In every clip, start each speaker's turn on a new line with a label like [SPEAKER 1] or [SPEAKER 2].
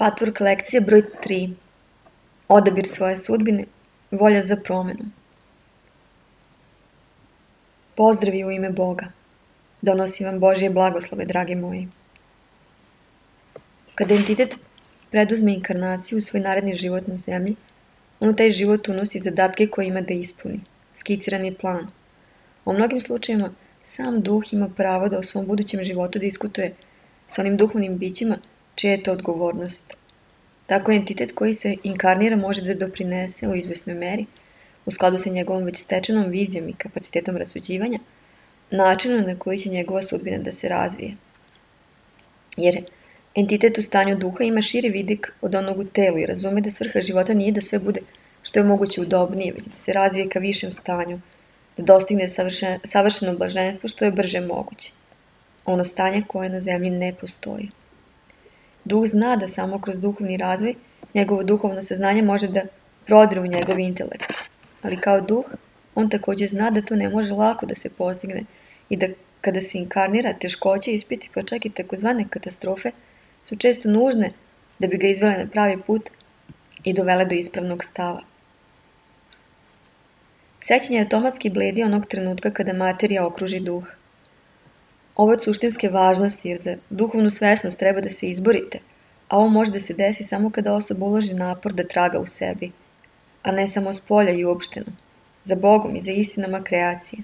[SPEAKER 1] Patvork lekcija broj 3. Odabir svoje sudbine, volja za promenu. Pozdravi u ime Boga. Donosim vam Božje blagoslove, dragi moji. Kada entitet preduzme inkarnaciju u svoj naredni život na zemlji, on u taj život unosi zadatke koje ima da ispuni, skicirani plan. U mnogim slučajevima sam duh ima pravo da o svom budućem životu diskutuje sa onim duhovnim bićima čija je to odgovornost. Tako entitet koji se inkarnira može da doprinese u izvesnoj meri, u skladu sa njegovom već stečenom vizijom i kapacitetom rasuđivanja, načinu na koji će njegova sudbina da se razvije. Jer entitet u stanju duha ima širi vidik od onog u telu i razume da svrha života nije da sve bude što je moguće udobnije, već da se razvije ka višem stanju, da dostigne savršeno blaženstvo što je brže moguće. Ono stanje koje na zemlji ne postoji. Duh zna da samo kroz duhovni razvoj njegovo duhovno saznanje može da prodre u njegov intelekt. Ali kao duh, on također zna da to ne može lako da se postigne i da kada se inkarnira, teškoće, ispiti pa čak i takozvane katastrofe su često nužne da bi ga izvele na pravi put i dovele do ispravnog stava. Sećanje automatski bledi onog trenutka kada materija okruži duh. Ovo je od suštinske važnosti jer za duhovnu svesnost treba da se izborite, a ovo može da se desi samo kada osoba uloži napor da traga u sebi, a ne samo s polja i uopšteno, za Bogom i za istinama kreacije.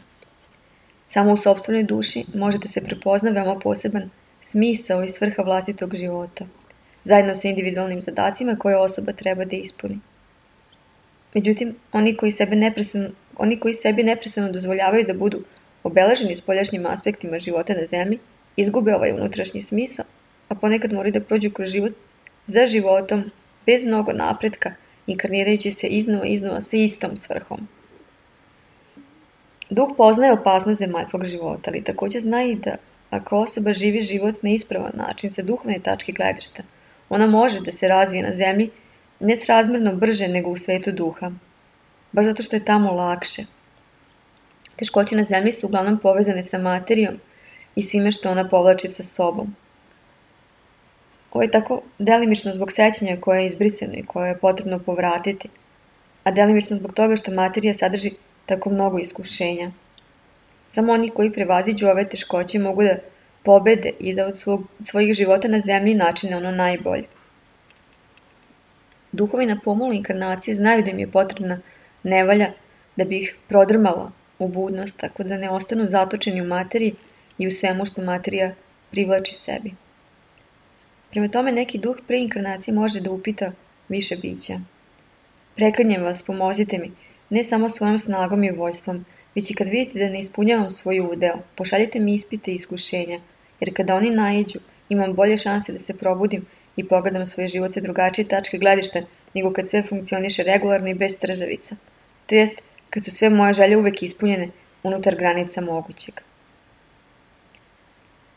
[SPEAKER 1] Samo u sopstvenoj duši može da se prepozna veoma poseban smisao i svrha vlastitog života, zajedno sa individualnim zadacima koje osoba treba da ispuni. Međutim, oni koji sebi neprestano dozvoljavaju da budu obeleženi spoljašnjim aspektima života na zemlji, izgube ovaj unutrašnji smisao, a ponekad moraju da prođu kroz život za životom, bez mnogo napretka, inkarnirajući se iznova sa istom svrhom. Duh poznaje opasnost zemaljskog života, ali također zna i da ako osoba živi život na ispravan način sa duhovne tačke gledišta, ona može da se razvije na zemlji nesrazmjerno brže nego u svetu duha, baš zato što je tamo lakše. Teškoće na zemlji su uglavnom povezane sa materijom i svime što ona povlači sa sobom. Ovo je tako delimično zbog sećanja koje je izbrisano i koje je potrebno povratiti, a delimično zbog toga što materija sadrži tako mnogo iskušenja. Samo oni koji prevaziđu ove teškoće mogu da pobede i da od svojih života na zemlji načine ono najbolje. Duhovi na pomolu inkarnacije znaju da im je potrebna nevolja da bi ih prodrmala u budnost, tako da ne ostanu zatočeni u materiji i u svemu što materija privlači sebi. Prema tome, neki duh pre inkarnacije može da upita više bića. Preklinjem vas, pomozite mi, ne samo svojom snagom i voljstvom, već i kad vidite da ne ispunjavam svoj udeo, pošaljite mi ispite i iskušenja, jer kada oni naiđu, imam bolje šanse da se probudim i pogledam svoj život sa drugačije tačke gledišta nego kad sve funkcioniše regularno i bez trzavica. To jest, kad su sve moje želje uvek ispunjene unutar granica mogućeg.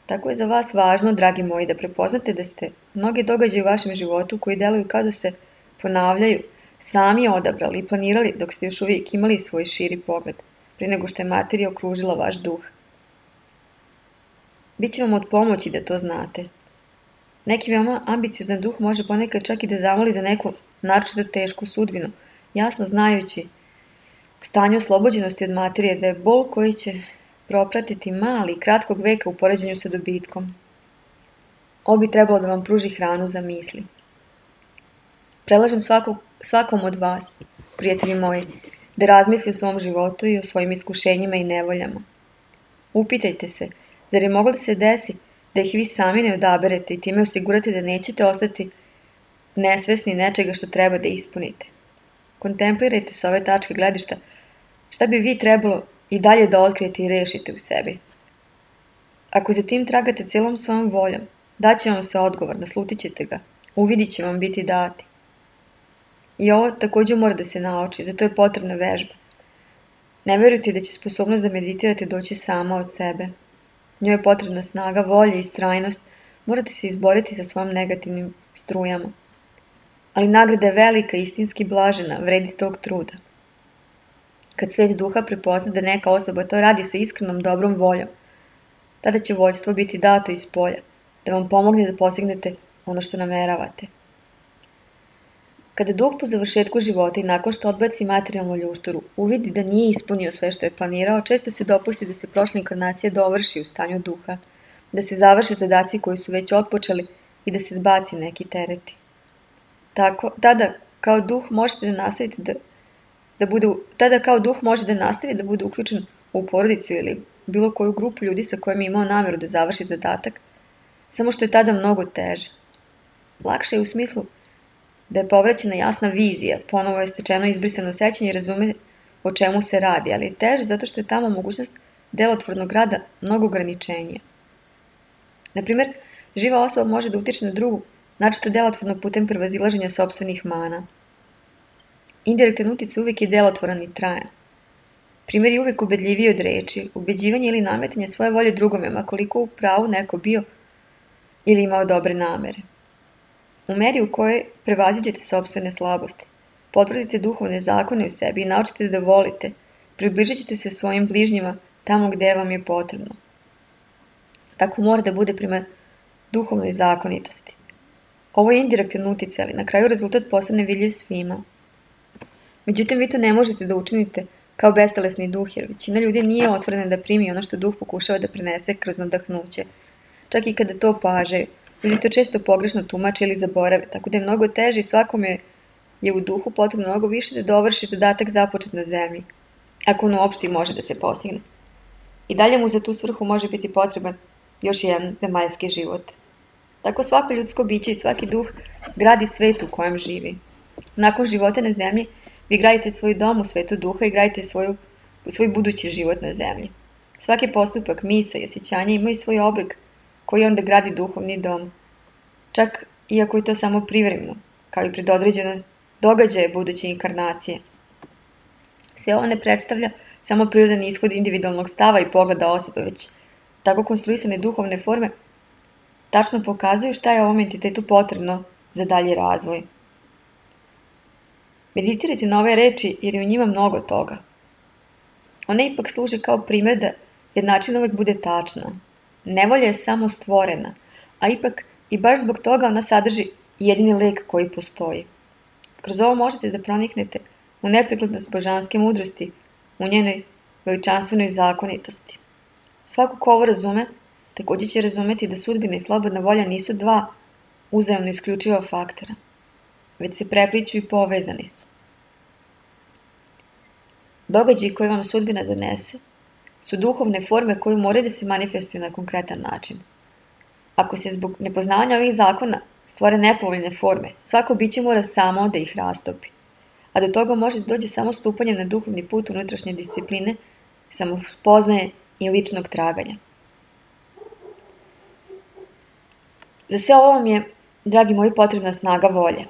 [SPEAKER 1] Tako je za vas važno, dragi moji, da prepoznate da ste mnoge događaje u vašem životu koji deluju kao da se ponavljaju, sami odabrali i planirali dok ste još uvijek imali svoj širi pogled, prije nego što je materija okružila vaš duh. Biće vam od pomoći da to znate. Neki veoma ambiciozan duh može ponekad čak i da zamoli za neku naročito tešku sudbinu, jasno znajući u stanju oslobođenosti od materije da je bol koji će propratiti mali i kratkog veka u poređenju sa dobitkom. Ovo bi trebalo da vam pruži hranu za misli. Predlažem svakom od vas, prijatelji moji, da razmisli o svom životu i o svojim iskušenjima i nevoljama. Upitajte se, zar je moglo da se desi da ih vi sami ne odaberete i time osigurate da nećete ostati nesvesni nečega što treba da ispunite. Kontemplirajte sa ove tačke gledišta šta bi vi trebalo i dalje da otkrijete i rešite u sebi. Ako za tim tragate celom svojom voljom, daće vam se odgovor, naslutit ćete ga, uvidit će vam biti dati. I ovo također mora da se nauči, zato je potrebna vežba. Ne verujte da će sposobnost da meditirate doći sama od sebe. Njoj je potrebna snaga, volja i istrajnost, morate se izboriti sa svojim negativnim strujama. Ali nagrada je velika i istinski blažena, vredi tog truda. Kad svet duha prepozna da neka osoba to radi sa iskrenom dobrom voljom, tada će voljstvo biti dato iz polja, da vam pomogne da postignete ono što nameravate. Kada duh po završetku života i nakon što odbaci materijalnu ljušturu uvidi da nije ispunio sve što je planirao, često se dopusti da se prošla inkarnacija dovrši u stanju duha, da se završe zadaci koji su već otpočeli i da se zbaci neki tereti. Tada kao duh može da nastavi da bude uključen u porodicu ili bilo koju grupu ljudi sa kojima je imao nameru da završi zadatak, samo što je tada mnogo teže. Lakše je u smislu da je povraćena jasna vizija, ponovo je stečeno izbrisano sećanje i razume o čemu se radi, ali je teže zato što je tamo mogućnost delotvornog rada mnogo ograničenija. Naprimjer, živa osoba može da utiče na drugu, naročito delotvorno putem prevazilaženja sopstvenih mana. Indirektan uticaj uvijek je delotvoran i trajan. Primjer je uvijek ubedljiviji od reči, ubeđivanje ili nametanje svoje volje drugome, ma koliko u pravu neko bio ili imao dobre namere. U meri u kojoj prevaziđete sopstvene slabosti, potvrdite duhovne zakone u sebi i naučite da volite, približit ćete se svojim bližnjima tamo gde vam je potrebno. Tako mora da bude prema duhovnoj zakonitosti. Ovo je indirektan uticaj, ali na kraju rezultat postane vidljiv svima. Međutim, vi to ne možete da učinite kao bestelesni duh, jer većina ljudi nije otvorena da primi ono što duh pokušava da prenese kroz nadahnuće. Čak i kada to pažaju, ljudi to često pogrešno tumače ili zaborave, tako da je mnogo teže i svakome je u duhu potrebno mnogo više da dovrši zadatak započet na zemlji, ako on uopšte može da se postigne. I dalje mu za tu svrhu može biti potreban još jedan zemaljski život. Tako svako ljudsko biće i svaki duh gradi svet u kojem živi. Nakon života na zemlji, vi gradite svoj dom u svetu duha i gradite svoj budući život na zemlji. Svaki postupak, misa i osjećanja imaju svoj oblik koji onda gradi duhovni dom. Čak iako je to samo privremeno, kao i predodređeno događaje buduće inkarnacije. Sve ovo ne predstavlja samo prirodan ishod individualnog stava i pogleda osobe, već tako konstruisane duhovne forme tačno pokazuju šta je ovom entitetu potrebno za dalji razvoj. Meditirajte na ove reči jer je u njima mnogo toga. One ipak služe kao primjer da jednačina uvek bude tačna. Nevolja je samo stvorena, a ipak i baš zbog toga ona sadrži jedini lek koji postoji. Kroz ovo možete da proniknete u neprekladnost božanske mudrosti, u njenoj veličanstvenoj zakonitosti. Svako ko ovo razume, također će razumeti da sudbina i slobodna volja nisu dva uzajamno isključiva faktora, već se prepliću i povezani su. Događaji koje vam sudbina donese su duhovne forme koje moraju da se manifestuju na konkretan način. Ako se zbog nepoznavanja ovih zakona stvore nepovoljne forme, svako biće mora samo da ih rastopi. A do toga može da dođe samo stupanjem na duhovni put unutrašnje discipline, samospoznaje i ličnog traganja. Za sve ovo vam je, dragi moji, potrebna snaga volje.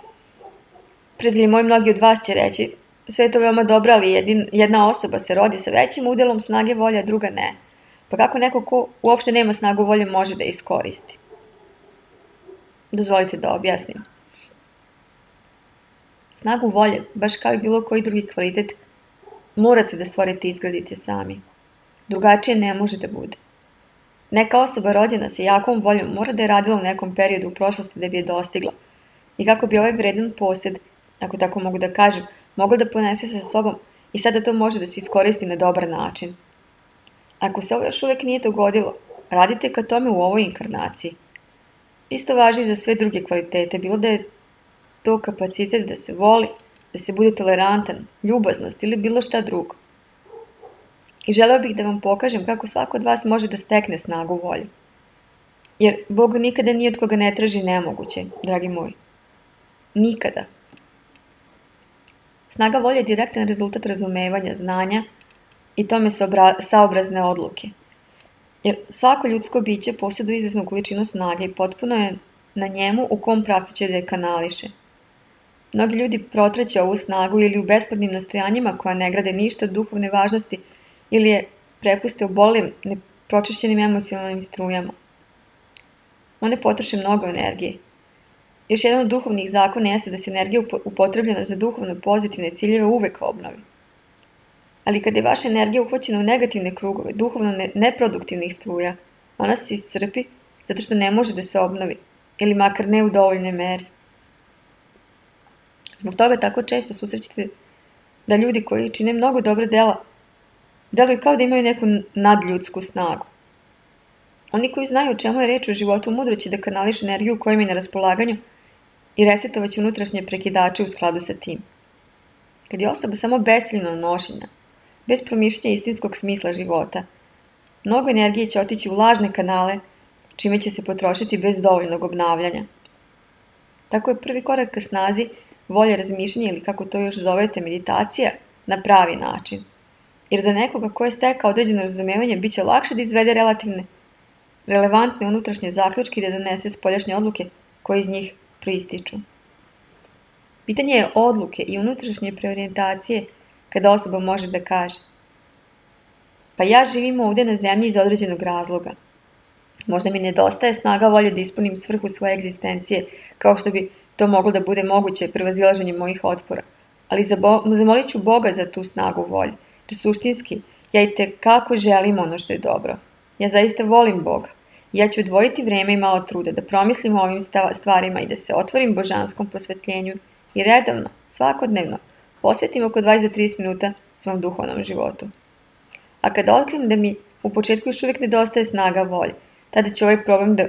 [SPEAKER 1] Prijatelji moji, mnogi od vas će reći, sve je to veoma dobro, ali jedna osoba se rodi sa većim udelom snage volje, a druga ne. Pa kako neko ko uopšte nema snagu volje može da iskoristi? Dozvolite da objasnim. Snagu volje, baš kao i bilo koji drugi kvalitet, morate da stvorite i izgradite sami. Drugačije ne može da bude. Neka osoba rođena sa jakom voljom mora da je radila u nekom periodu u prošlosti da bi je dostigla. I kako bi ovaj vredan posed, ako tako mogu da kažem, mogla da ponese sa sobom i sada to može da se iskoristi na dobar način. Ako se ovo još uvek nije dogodilo, radite ka tome u ovoj inkarnaciji. Isto važi za sve druge kvalitete, bilo da je to kapacitet da se voli, da se bude tolerantan, ljubaznost ili bilo šta drugo. I želeo bih da vam pokažem kako svako od vas može da stekne snagu volje. Jer Bog nikada ni od koga ne traži nemoguće, dragi moji. Nikada. Snaga volje je direktan rezultat razumevanja, znanja i tome saobrazne odluke. Jer svako ljudsko biće posjeduje izvesnu količinu snage i potpuno je na njemu u kom pravcu će da je kanališe. Mnogi ljudi protraće ovu snagu ili u besplatnim nastojanjima koja ne grade ništa od duhovne važnosti ili je prepuste u bolim, nepročišćenim emocionalnim strujama. One potroše mnogo energije. Još jedan od duhovnih zakona jeste da se energija upotrebljena za duhovno pozitivne ciljeve uvek obnovi. Ali kada je vaša energija uhvaćena u negativne krugove, duhovno neproduktivnih struja, ona se iscrpi zato što ne može da se obnovi, ili makar ne u dovoljnoj meri. Zbog toga tako često susrećete da ljudi koji čine mnogo dobra dela deluju kao da imaju neku nadljudsku snagu. Oni koji znaju o čemu je reč u životu mudro će da kanališu energiju koja im je na raspolaganju i resetovaće unutrašnje prekidače u skladu sa tim. Kad je osoba samo besciljno nošenja, bez promišljanja istinskog smisla života, mnogo energije će otići u lažne kanale, čime će se potrošiti bez dovoljnog obnavljanja. Tako je prvi korak ka snazi volje razmišljanja ili kako to još zovete meditacija na pravi način. Jer za nekoga ko je stekao određeno razumevanje bit će lakše da izvede relevantne unutrašnje zaključke i da donese spoljašnje odluke koje iz njih proističu. Pitanje je odluke i unutrašnje preorijentacije kada osoba može da kaže: pa ja živim ovdje na zemlji iz određenog razloga. Možda mi nedostaje snaga volje da ispunim svrhu svoje egzistencije, kao što bi to moglo da bude moguće prevazilaženjem mojih otpora. Ali zamolit ću Boga za tu snagu volje, jer suštinski ja i tekako želim ono što je dobro. Ja zaista volim Boga. Ja ću odvojiti vreme i malo truda da promislim o ovim stvarima i da se otvorim božanskom prosvetljenju i redovno, svakodnevno, posvetim oko 20 do 30 minuta svom duhovnom životu. A kada otkrijem da mi u početku još uvijek nedostaje snaga volje, tada ću ovaj problem da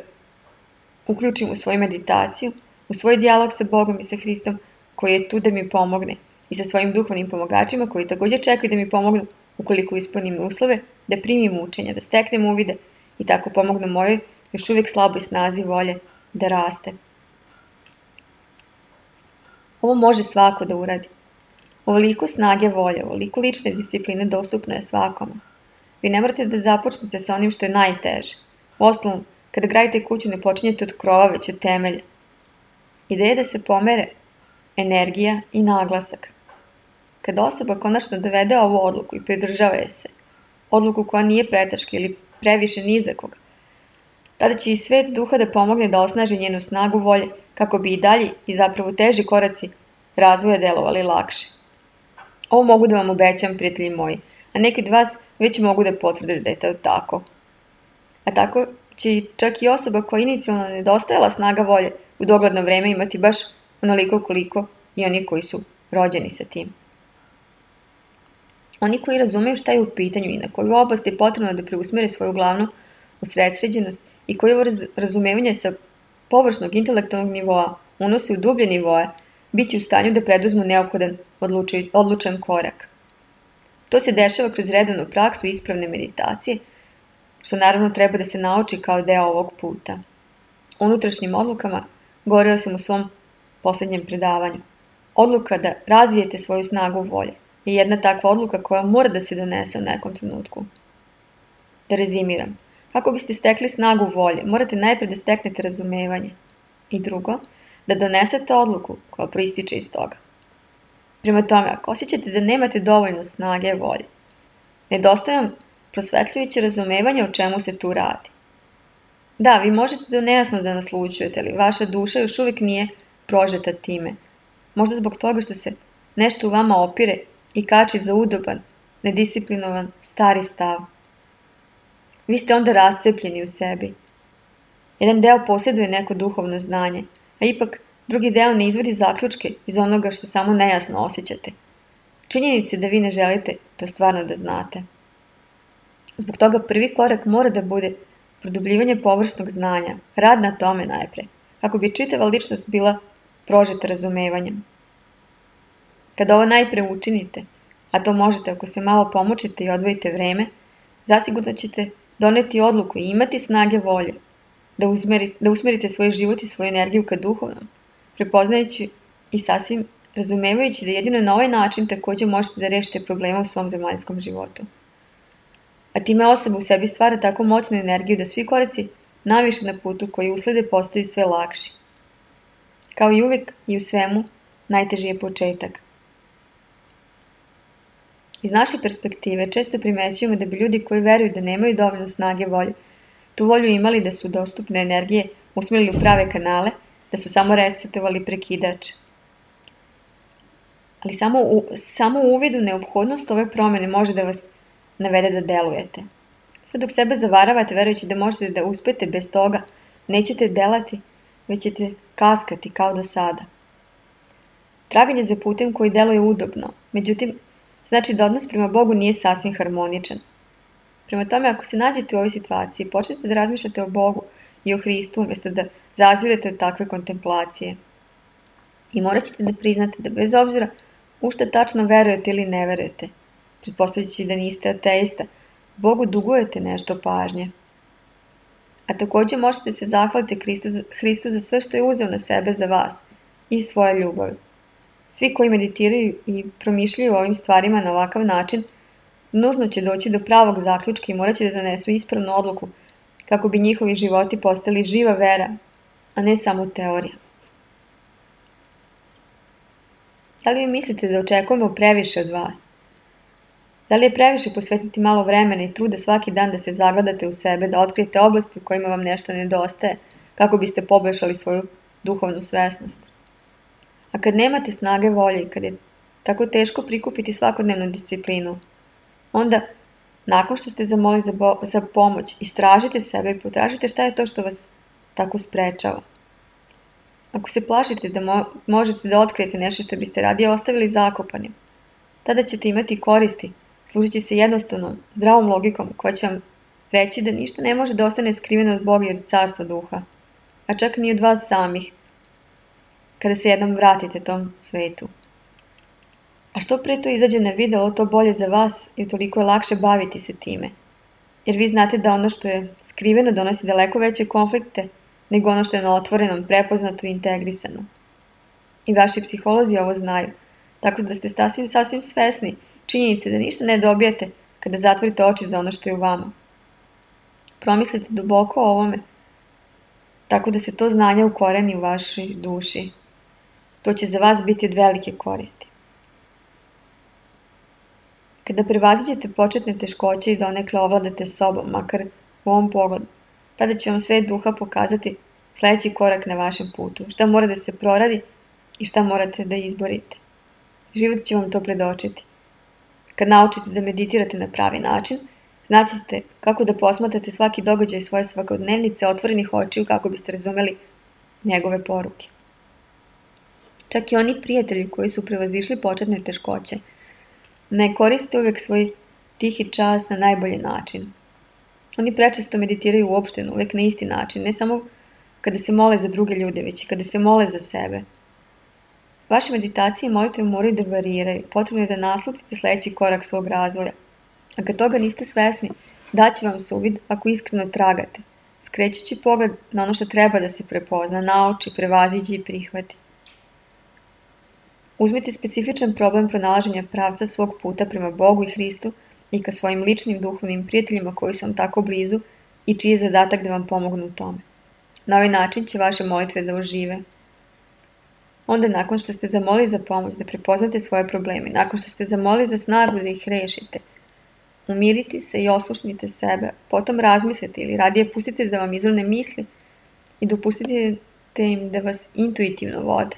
[SPEAKER 1] uključim u svoju meditaciju, u svoj dijalog sa Bogom i sa Hristom koji je tu da mi pomogne i sa svojim duhovnim pomagačima koji također čekaju da mi pomognu ukoliko ispunim uslove, da primim učenja, da steknem uvide i tako pomognu mojoj još uvijek slaboj snazi volje da raste. Ovo može svako da uradi. Ovoliko snage volje, ovoliko lične discipline dostupno je svakome. Vi ne morate da započnete sa onim što je najteže. Uostalom, kada gradite kuću ne počinjete od krova, već od temelja. Ideja je da se pomere energija i naglasak. Kada osoba konačno dovede ovu odluku i pridržava je se, odluku koja nije preteška ili previše nizakog, tada će i svet duha da pomogne da osnaži njenu snagu volje kako bi i dalji i zapravo teži koraci razvoja delovali lakše. Ovo mogu da vam obećam, prijatelji moji, a neki od vas već mogu da potvrde da je to tako. A tako će čak i osoba koja inicijalno nedostajala snaga volje u dogledno vreme imati baš onoliko koliko i oni koji su rođeni sa tim. Oni koji razumeju šta je u pitanju i na koju oblast je potrebno da preusmere svoju glavnu usredsređenost i koji ovo razumevanje sa površnog intelektualnog nivoa unose u dublje nivoe, bit će u stanju da preduzmu neophodan odlučan korak. To se dešava kroz redovnu praksu ispravne meditacije, što naravno treba da se nauči kao deo ovog puta. Unutrašnjim odlukama govorio sam u svom posljednjem predavanju. Odluka da razvijete svoju snagu volje je jedna takva odluka koja mora da se donese u nekom trenutku. Da rezimiram. Kako biste stekli snagu volje, morate najprej da steknete razumevanje. I drugo, da donesete odluku koja proističe iz toga. Prema tome, ako osjećate da nemate dovoljno snage volje, nedostaje vam prosvetljujuće razumevanje o čemu se tu radi. Da, vi možete to nejasno da naslućujete, ali vaša duša još uvijek nije prožeta time. Možda zbog toga što se nešto u vama opire i kači za udoban, nedisciplinovan, stari stav. Vi ste onda rascepljeni u sebi. Jedan deo posjeduje neko duhovno znanje, a ipak drugi deo ne izvodi zaključke iz onoga što samo nejasno osjećate. Činjenice da vi ne želite to stvarno da znate. Zbog toga prvi korak mora da bude produbljivanje površnog znanja, rad na tome najpre, kako bi čitava ličnost bila prožeta razumevanjem. Kada ovo najpre učinite, a to možete ako se malo pomučite i odvojite vreme, zasigurno ćete doneti odluku i imati snage volje da usmerite svoj život i svoju energiju ka duhovnom, prepoznajući i sasvim razumevajući da jedino na ovaj način također možete da rešite problema u svom zemaljskom životu. A time osoba u sebi stvara tako moćnu energiju da svi koraci naviše na putu koji uslede postaju sve lakši. Kao i uvijek i u svemu, najteži je početak. Iz naše perspektive često primećujemo da bi ljudi koji veruju da nemaju dovoljno snage volje, tu volju imali da su dostupne energije usmjerili u prave kanale, da su samo resetovali prekidač. Ali samo u uvidu neophodnost ove promjene može da vas navede da delujete. Sve dok sebe zavaravate verujući da možete da uspete bez toga, nećete delati, već ćete kaskati kao do sada. Traganje za putem koji deluje udobno, međutim, znači da odnos prema Bogu nije sasvim harmoničan. Prema tome, ako se nađete u ovoj situaciji, počnete da razmišljate o Bogu i o Hristu umjesto da zazirete od takve kontemplacije. I morat ćete da priznate da bez obzira u šta tačno verujete ili ne verujete, pretpostavljajući da niste ateista, Bogu dugujete nešto pažnje. A također možete se zahvaliti Hristu za sve što je uzeo na sebe za vas i svoje ljubavi. Svi koji meditiraju i promišljaju o ovim stvarima na ovakav način, nužno će doći do pravog zaključka i morat će da donesu ispravnu odluku kako bi njihovi životi postali živa vera, a ne samo teorija. Da li vi mislite da očekujemo previše od vas? Da li je previše posvetiti malo vremena i truda svaki dan da se zagledate u sebe, da otkrijete oblasti u kojima vam nešto nedostaje, kako biste poboljšali svoju duhovnu svesnost? A kad nemate snage volje i kad je tako teško prikupiti svakodnevnu disciplinu, onda, nakon što ste zamoli za pomoć, istražite sebe i potražite šta je to što vas tako sprečava. Ako se plašite da možete da otkrijete nešto što biste radije ostavili zakopanim, tada ćete imati koristi, služeći se jednostavnom, zdravom logikom koja će vam reći da ništa ne može da ostane skriveno od Boga i od carstva duha, a čak ni od vas samih, kada se jednom vratite tom svetu. A što pre to izađe na videlo, to bolje za vas i toliko je lakše baviti se time. Jer vi znate da ono što je skriveno donosi daleko veće konflikte nego ono što je na otvorenom, prepoznato i integrisano. I vaši psiholozi ovo znaju, tako da ste sasvim svesni činjenice da ništa ne dobijete kada zatvorite oči za ono što je u vama. Promislite duboko o ovome, tako da se to znanje ukoreni u vašoj duši. To će za vas biti od velike koristi. Kada prevaziđete početne teškoće i donekle ovladate sobom, makar u ovom pogledu, tada će vam svet duha pokazati sljedeći korak na vašem putu, šta mora da se proradi i šta morate da izborite. Život će vam to predočiti. Kad naučite da meditirate na pravi način, znaćete kako da posmatrate svaki događaj svoje svakodnevnice otvorenih očiju kako biste razumeli njegove poruke. Čak i oni prijatelji koji su prevazišli početne teškoće ne koriste uvijek svoj tihi čas na najbolji način. Oni prečesto meditiraju uopšteno, uvijek na isti način, ne samo kada se mole za druge ljude, već i kada se mole za sebe. Vaše meditacije i molitve moraju da variraju, potrebno je da naslutite sljedeći korak svog razvoja. A kad toga niste svesni, daće vam se uvid ako iskreno tragate, skrećući pogled na ono što treba da se prepozna, nauči, prevaziđe i prihvati. Uzmite specifičan problem pronalaženja pravca svog puta prema Bogu i Hristu i ka svojim ličnim duhovnim prijateljima koji su vam tako blizu i čiji je zadatak da vam pomognu u tome. Na ovaj način će vaše molitve da ožive. Onda nakon što ste zamolili za pomoć da prepoznate svoje probleme, nakon što ste zamolili za snagu da ih rešite, umirite se i oslušnite sebe, potom razmislite ili radije pustite da vam izrone misli i dopustite im da vas intuitivno vode.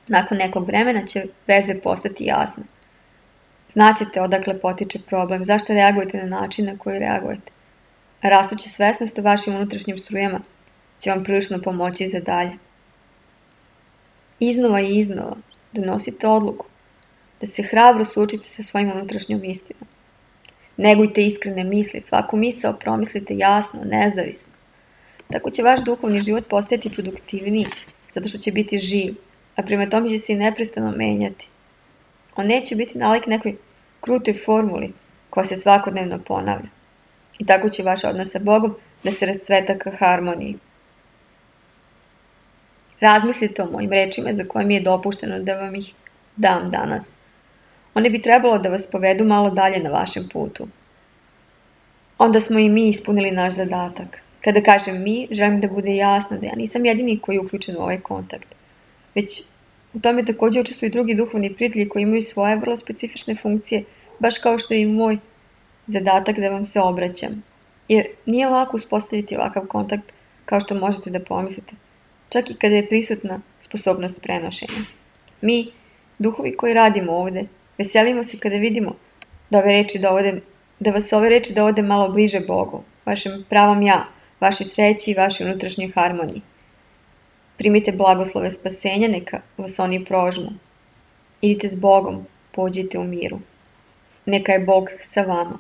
[SPEAKER 1] Nakon nekog vremena će veze postati jasne. Znaćete odakle potiče problem, zašto reagujete na način na koji reagujete. A rastuća svesnost o vašim unutrašnjim strujama će vam prilično pomoći za dalje. Iznova i iznova donosite odluku da se hrabro suočite sa svojim unutrašnjom istinom. Negujte iskrene misli, svaku misao promislite jasno, nezavisno. Tako će vaš duhovni život postajati produktivniji, zato što će biti živ, a prema tome će se i neprestano menjati. On neće biti nalik nekoj krutoj formuli koja se svakodnevno ponavlja. I tako će vaš odnos sa Bogom da se rascveta ka harmoniji. Razmislite o mojim rečima za koje mi je dopušteno da vam ih dam danas. One bi trebalo da vas povedu malo dalje na vašem putu. Onda smo i mi ispunili naš zadatak. Kada kažem mi, želim da bude jasno da ja nisam jedini koji je uključen u ovaj kontakt. Već u tome također učestvuju i drugi duhovni prijatelji koji imaju svoje vrlo specifične funkcije, baš kao što je i moj zadatak da vam se obraćam. Jer nije lako uspostaviti ovakav kontakt kao što možete da pomislite, čak i kada je prisutna sposobnost prenošenja. Mi, duhovi koji radimo ovdje, veselimo se kada vidimo da vas ove reči dovode malo bliže Bogu, vašem pravom ja, vašoj sreći i vašoj unutrašnjoj harmoniji. Primite blagoslove spasenja, neka vas oni prožmu. Idite s Bogom, pođite u miru. Neka je Bog sa vama.